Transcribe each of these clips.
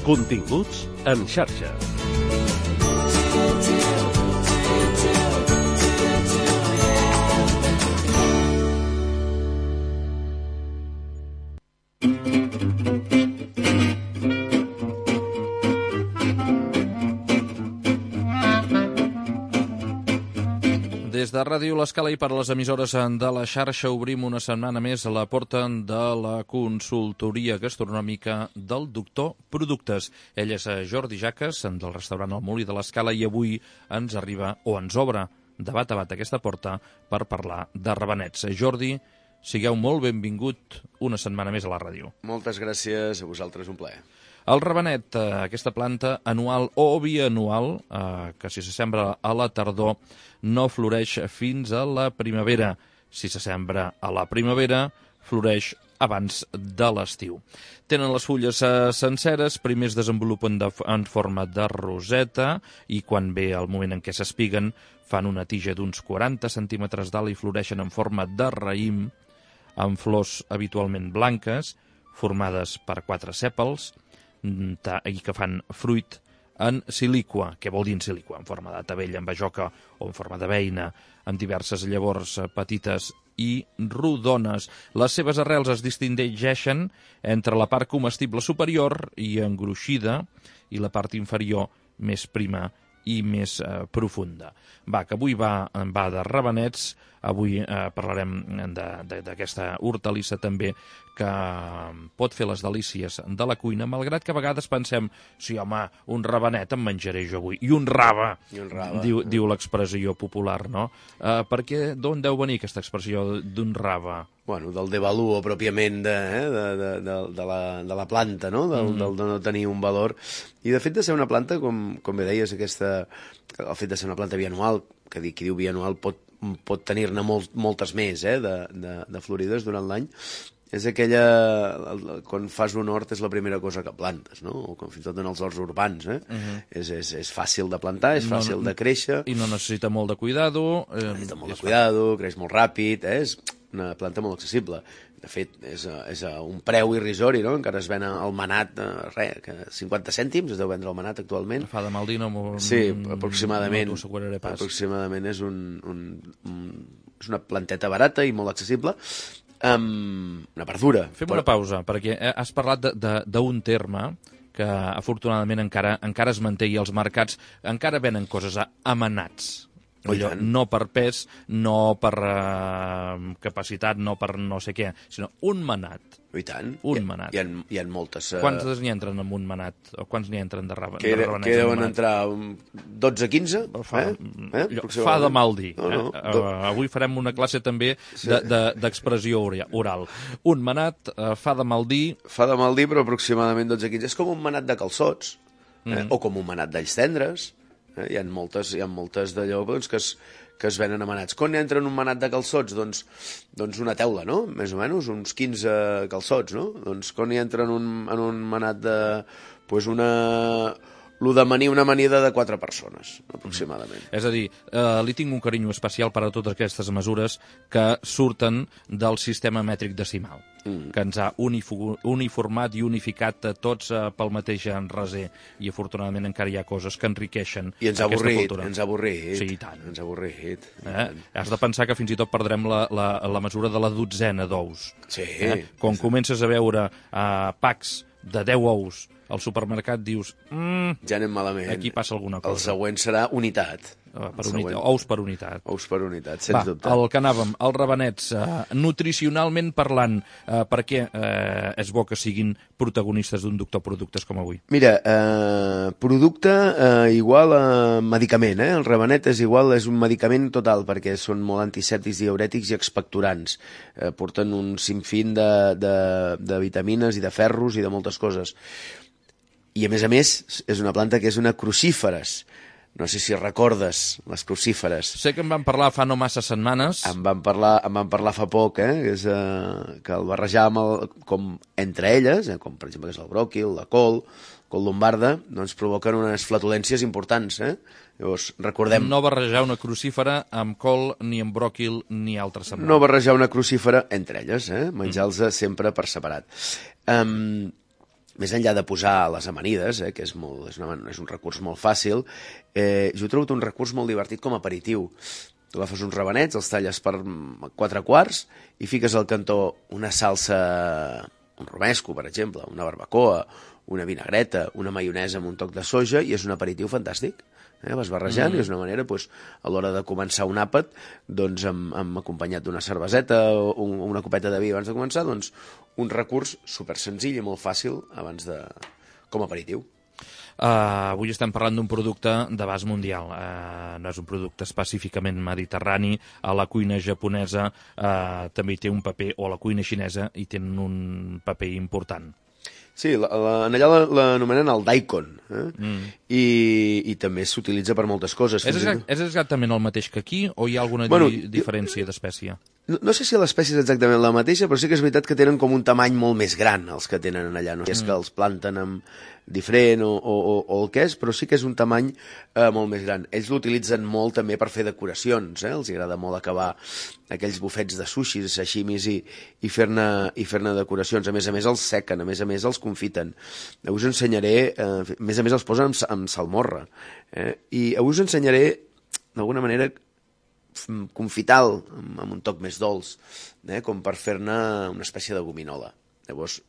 Continguts en xarxa. Des de Ràdio L'Escala i per les emissores de la xarxa obrim una setmana més a la porta de la consultoria gastronòmica del Doctor Productes. Ell és Jordi Jaques, del restaurant El Molí de l'Escala, i avui ens arriba, o ens obre de bat a bat aquesta porta per parlar de rabenets. Jordi, sigueu molt benvingut una setmana més a la ràdio. Moltes gràcies a vosaltres, un plaer. El rabenet, aquesta planta anual o bianual, que si se sembra a la tardor no floreix fins a la primavera. Si se sembra a la primavera, floreix abans de l'estiu. Tenen les fulles senceres, primer es desenvolupen en forma de roseta i quan ve el moment en què s'espiguen fan una tija d'uns 40 centímetres d'alt i floreixen en forma de raïm, amb flors habitualment blanques, formades per 4 sèpals, i que fan fruit en silicua. Què vol dir en silicua? En forma de tabella, en bajoca o en forma de beina, amb diverses llavors petites i rodones. Les seves arrels es distingeixen entre la part comestible superior i engruixida i la part inferior més prima i més profunda. Que avui va de rabenets, avui parlarem d'aquesta hortalissa també que pot fer les delícies de la cuina, malgrat que a vegades pensem, sí, home, un rabenet em menjaré jo avui, i un rave, diu l'expressió popular, no? D'on deu venir aquesta expressió d'un rave? Bueno, del devaluo pròpiament de la planta, no? De no tenir un valor. I de fet de ser una planta, com bé deies, el fet de ser una planta bianual, que qui diu bianual pot tenir-ne moltes més de florides durant l'any, és aquella, quan fas un hort és la primera cosa que plantes, no? O fins i tot en els horts urbans, és fàcil de plantar, és fàcil de créixer. I no necessita molt de cuidado. Necessita molt de cuidado, creix molt ràpid, és una planta molt accessible. De fet, és un preu irrisori, no? Encara es ven el manat, 50 cèntims, es deu vendre el manat actualment. Fa de mal dir, no? Sí, aproximadament. No t'ho asseguraré pas. Aproximadament és una planteta barata i molt accessible. Una verdura. Fem una pausa, perquè has parlat d'un terme que afortunadament encara es manté i els mercats encara venen coses amanats. No per pes, no per capacitat, no per no sé què, sinó un manat. I tant. Un manat. Hi ha moltes... Quants n'hi entren en un manat? O quants n'hi entren de rabenets? Que deuen entrar 12-15? Fa de mal dir. Avui farem una classe també d'expressió oral. Un manat fa de mal dir... Fa de mal dir, però aproximadament 12-15. És com un manat de calçots, o com un manat d'alls tendres. Hi ha moltes d'allò que es venen amanats. Quan entra en un manat de calçots? Doncs una teula, no? Més o menys, uns 15 calçots, no? Doncs quan hi entra en un manat de... una amanida de 4 persones, aproximadament. És a dir, li tinc un carinyo especial per a totes aquestes mesures que surten del sistema mètric decimal, que ens ha uniformat i unificat tots pel mateix raser, i afortunadament encara hi ha coses que enriqueixen aquesta cultura. I ens ha avorrit. Sí, i tant. Ens ha avorrit. Has de pensar que fins i tot perdrem la mesura de la dotzena d'ous. Sí. Quan comences a veure packs de 10 ous al supermercat, dius... Ja anem malament. Aquí passa alguna cosa. El següent serà unitat. Ous per unitat. Ous per unitat, sens dubte. El que anàvem, els rabenets, nutricionalment parlant, per què és bo que siguin protagonistes d'un Doctor Productes com avui? Mira, producte igual a medicament, El rabenet és un medicament total, perquè són molt antisèptics, diürètics i expectorants. Porten un sinfín de vitamines i de ferros i de moltes coses. I, a més, és una planta que és una crucíferes. No sé si recordes les crucíferes. Sé que en vam parlar fa no massa setmanes. En vam parlar fa poc, que el barrejàvem com entre elles, com per exemple que és el bròquil, la col lombarda, doncs provoquen unes flatulències importants. Llavors, recordem... No barrejar una crucífera amb col, ni amb bròquil, ni altres semblants. No barrejar una crucífera entre elles, menjar-los sempre per separat. més enllà de posar les amanides, que és un recurs molt fàcil, jo he trobat un recurs molt divertit com a aperitiu. Tu agafes uns rabenets, els talles per 4 quarts i fiques al cantó una salsa, un romesco, per exemple, una barbacoa, una vinagreta, una maionesa amb un toc de soja, i és un aperitiu fantàstic. Vas barrejant i és una manera, a l'hora de començar un àpat, acompanyat d'una cerveseta o una copeta de vi abans de començar, un recurs super senzill i molt fàcil com a aperitiu. Avui estem parlant d'un producte d'abast mundial. No és un producte específicament mediterrani. A la cuina japonesa també hi té un paper, o a la cuina xinesa hi tenen un paper important. Sí, allà l'anomenen el daikon, i també s'utilitza per moltes coses. És exactament el mateix que aquí, o hi ha alguna diferència d'espècie? No sé si l'espècie és exactament la mateixa, però sí que és veritat que tenen com un tamany molt més gran els que tenen allà. No sé si és que els planten diferent o el que és, però sí que és un tamany molt més gran. Ells l'utilitzen molt també per fer decoracions, els agrada molt acabar aquells bufets de sushis, sashimis i fer-ne decoracions. A més, els sequen, a més els confiten. Avui us ensenyaré, a més els posen amb salmorra. I avui us ensenyaré, d'alguna manera, confital, amb un toc més dolç, com per fer-ne una espècie de gominola. Llavors,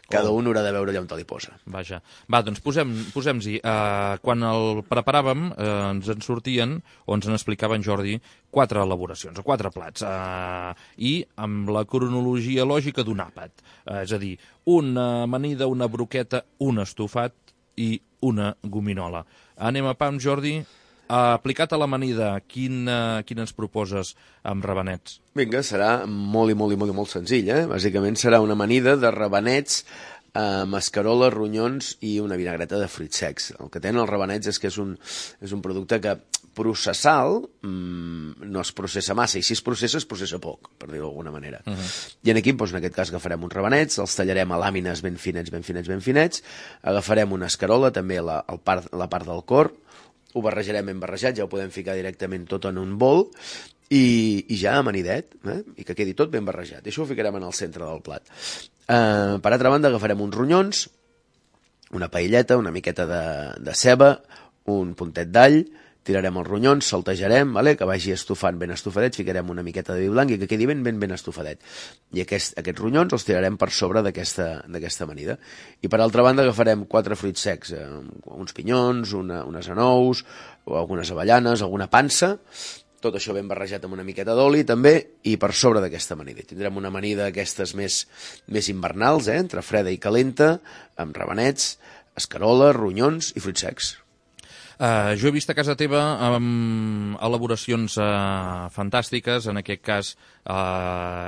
cada un haurà de veure allà on te li posa. Vaja. Va, doncs posem-hi. Quan el preparàvem, ens en sortien, o ens en explicava en Jordi, 4 elaboracions, o 4 plats, i amb la cronologia lògica d'un àpat. És a dir, una amanida, una broqueta, un estofat i una gominola. Anem a pam, Jordi. Aplicat a l'amanida, quin ens proposes amb rabenets? Vinga, serà molt senzill, Bàsicament serà una amanida de rabenets, mascarola, ronyons i una vinagreta de fruits secs. El que tenen els rabenets és que és un producte que processal no es processa massa, i si es processa poc, per dir-ho d'alguna manera. I aquí, en aquest cas, agafarem uns rabenets, els tallarem a làmines ben finets, agafarem una escarola, també la part del cor, ho barrejarem ben barrejat, ja ho podem ficar directament tot en un bol, i ja amanidet, i que quedi tot ben barrejat. I això ho ficarem en el centre del plat. Per altra banda, agafarem uns ronyons, una paelleta, una miqueta de ceba, un puntet d'all, tirarem els ronyons, saltejarem, que vagi estufant ben estofadet, ficarem una miqueta de vi blanc i que quedi ben estofadet. I aquests ronyons els tirarem per sobre d'aquesta amanida. I per altra banda agafarem 4 fruits secs, uns pinyons, unes anous, o algunes avellanes, alguna pansa, tot això ben barrejat amb una miqueta d'oli també, i per sobre d'aquesta amanida. Tindrem una amanida d'aquestes més invernals, entre freda i calenta, amb rabenets, escarola, ronyons i fruits secs. Jo he vist a casa teva elaboracions fantàstiques. En aquest cas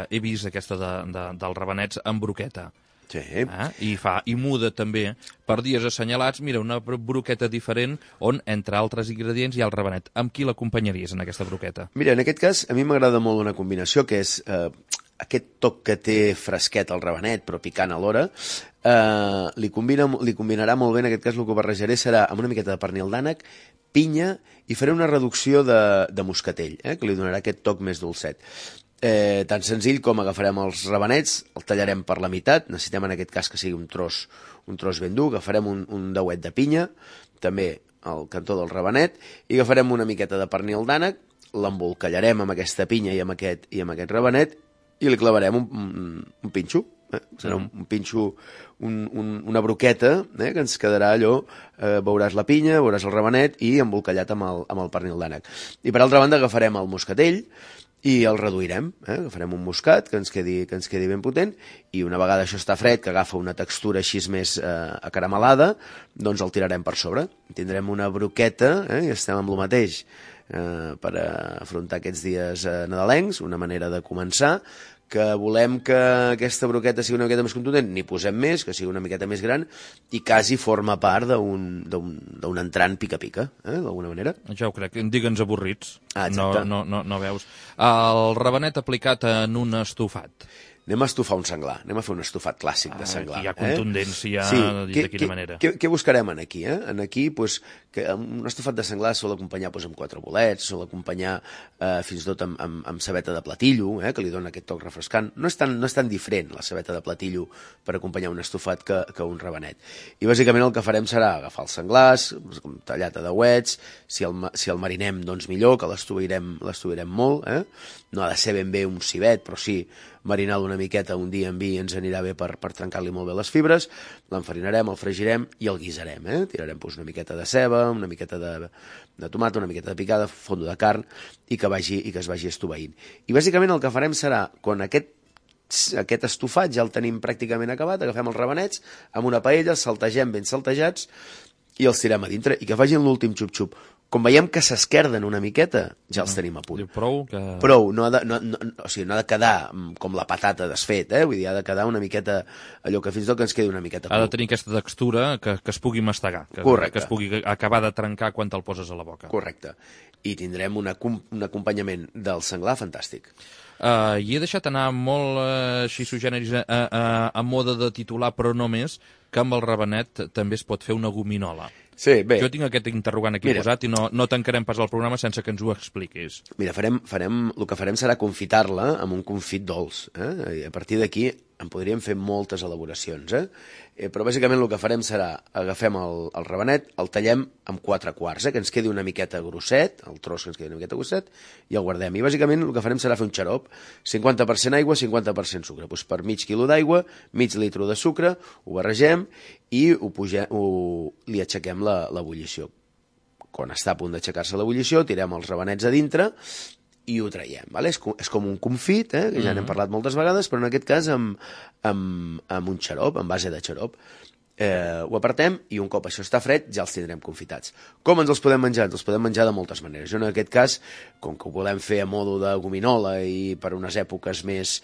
he vist aquesta dels rabenets amb broqueta. Sí. I muda també per dies assenyalats. Mira, una broqueta diferent on, entre altres ingredients, hi ha el rabenet. Amb qui l'acompanyaries en aquesta broqueta? Mira, en aquest cas a mi m'agrada molt una combinació que és aquest toc que té fresquet al rabenet però picant alhora. Li combinarà molt bé. En aquest cas el que barrejaré serà amb una miqueta de pernil d'ànec, pinya, i faré una reducció de moscatell, que li donarà aquest toc més dolcet. Tan senzill com agafarem els rabenets, el tallarem per la meitat, necessitem en aquest cas que sigui un tros ben dur, agafarem un dauet de pinya, també al cantó del rabenet, i agafarem una miqueta de pernil d'ànec, l'embolcallarem amb aquesta pinya i amb aquest rabenet, i li clavarem un pinxo. Serà un pinxo, una broqueta, que ens quedarà allò, veuràs la pinya, veuràs el rabenet i embolcallat amb el pernil d'ànec. I per altra banda agafarem el moscatell i el reduirem, agafarem un moscat que ens quedi ben potent, i una vegada això està fred, que agafa una textura així més acaramelada, doncs el tirarem per sobre. Tindrem una broqueta, i estem amb el mateix, per afrontar aquests dies nadalencs, una manera de començar, que volem que aquesta broqueta sigui una miqueta més contundent, n'hi posem més, que sigui una miqueta més gran, i quasi forma part d'un entrant pica-pica, d'alguna manera. Ja ho crec, digue'ns avorrits. Exacte. No veus. El rabenet aplicat en un estofat. anem a estufar un senglar, anem a fer un estufat clàssic de senglar. Hi ha contundència, de quina manera. Què buscarem aquí? Aquí, un estufat de senglar sol acompanyar amb 4 bolets, sol acompanyar fins i tot amb cebeta de platillo, que li dona aquest toc refrescant. No és tan diferent la cebeta de platillo per acompanyar un estufat que un rabenet. I bàsicament el que farem serà agafar els senglars, tallat a dauets, si el marinem, doncs millor, que l'estuvirem molt, no ha de ser ben bé un civet, però sí marinar-lo una miqueta un dia en vi ens anirà bé per trencar-li molt bé les fibres, l'enfarinarem, el fregirem i el guisarem. Tirarem una miqueta de ceba, una miqueta de tomata, una miqueta de picada, fondo de carn i que es vagi estoveint. I bàsicament el que farem serà, quan aquest estofat ja el tenim pràcticament acabat, agafem els rabenets amb una paella, els saltegem ben saltejats i els tirem a dintre i que facin l'últim xup-xup. Com veiem que s'esquerden una miqueta, ja els tenim a punt. Prou, no ha de quedar com la patata desfet, vull dir, ha de quedar una miqueta, allò que fins i tot que ens quedi una miqueta. Ha de tenir aquesta textura que es pugui mastegar, que es pugui acabar de trencar quan te'l poses a la boca. Correcte. I tindrem un acompanyament del senglar fantàstic. I he deixat anar molt xisogeneris a moda de titular, però no més, que amb el rabenet també es pot fer una gominola. Sí, bé. Jo tinc aquest interrogant aquí posat i no tancarem pas el programa sense que ens ho expliquis. Mira, el que farem serà confitar-la amb un confit dolç. I a partir d'aquí en podríem fer moltes elaboracions. Però bàsicament el que farem serà agafem el rabenet, el tallem amb 4 quarts, que ens quedi una miqueta grosset, el tros que ens quedi una miqueta grosset, i el guardem. I bàsicament el que farem serà fer un xarop, 50% aigua, 50% sucre. Doncs per mig quilo d'aigua, mig litre de sucre, ho barregem i li aixequem l'ebullició. Quan està a punt d'aixecar-se l'ebullició, tirem els rabenets a dintre i ho traiem. És com un confit, que ja n'hem parlat moltes vegades, però en aquest cas amb un xarop, en base de xarop. Ho apartem i un cop això està fred ja els tindrem confitats. Com ens els podem menjar? Ens els podem menjar de moltes maneres. Jo en aquest cas, com que ho volem fer a modo de gominola i per unes èpoques més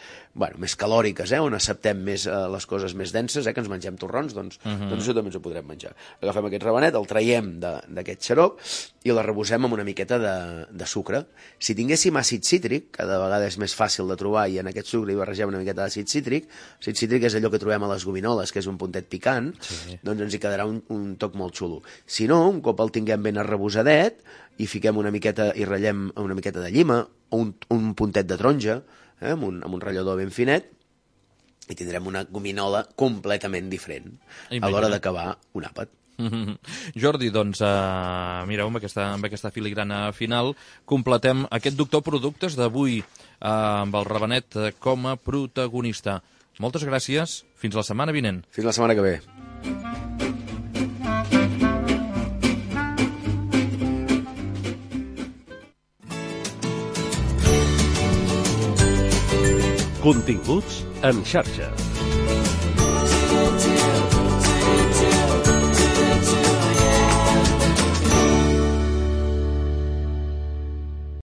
calòriques, on acceptem més les coses més denses, que ens mengem torrons, doncs això també ens ho podrem menjar. Agafem aquest rabenet, el traiem d'aquest xarop i l'arrebosem amb una miqueta de sucre. Si tinguéssim àcid cítric, cada vegada és més fàcil de trobar i en aquest sucre hi barregem una miqueta d'àcid cítric. Àcid cítric és allò que trobem a les gominoles, que és un puntet picant, doncs ens hi quedarà un toc molt xulo. Si no, un cop el tinguem ben arrebosadet i fiquem una miqueta i ratllem una miqueta de llima o un puntet de taronja amb un ratllador ben finet i tindrem una gominola completament diferent a l'hora d'acabar un àpat. Jordi, doncs, mireu, amb aquesta filigrana final completem aquest Doctor Productes d'avui amb el rabenet com a protagonista. Moltes gràcies. Fins la setmana vinent. Fins la setmana que ve. Continguts en xarxa.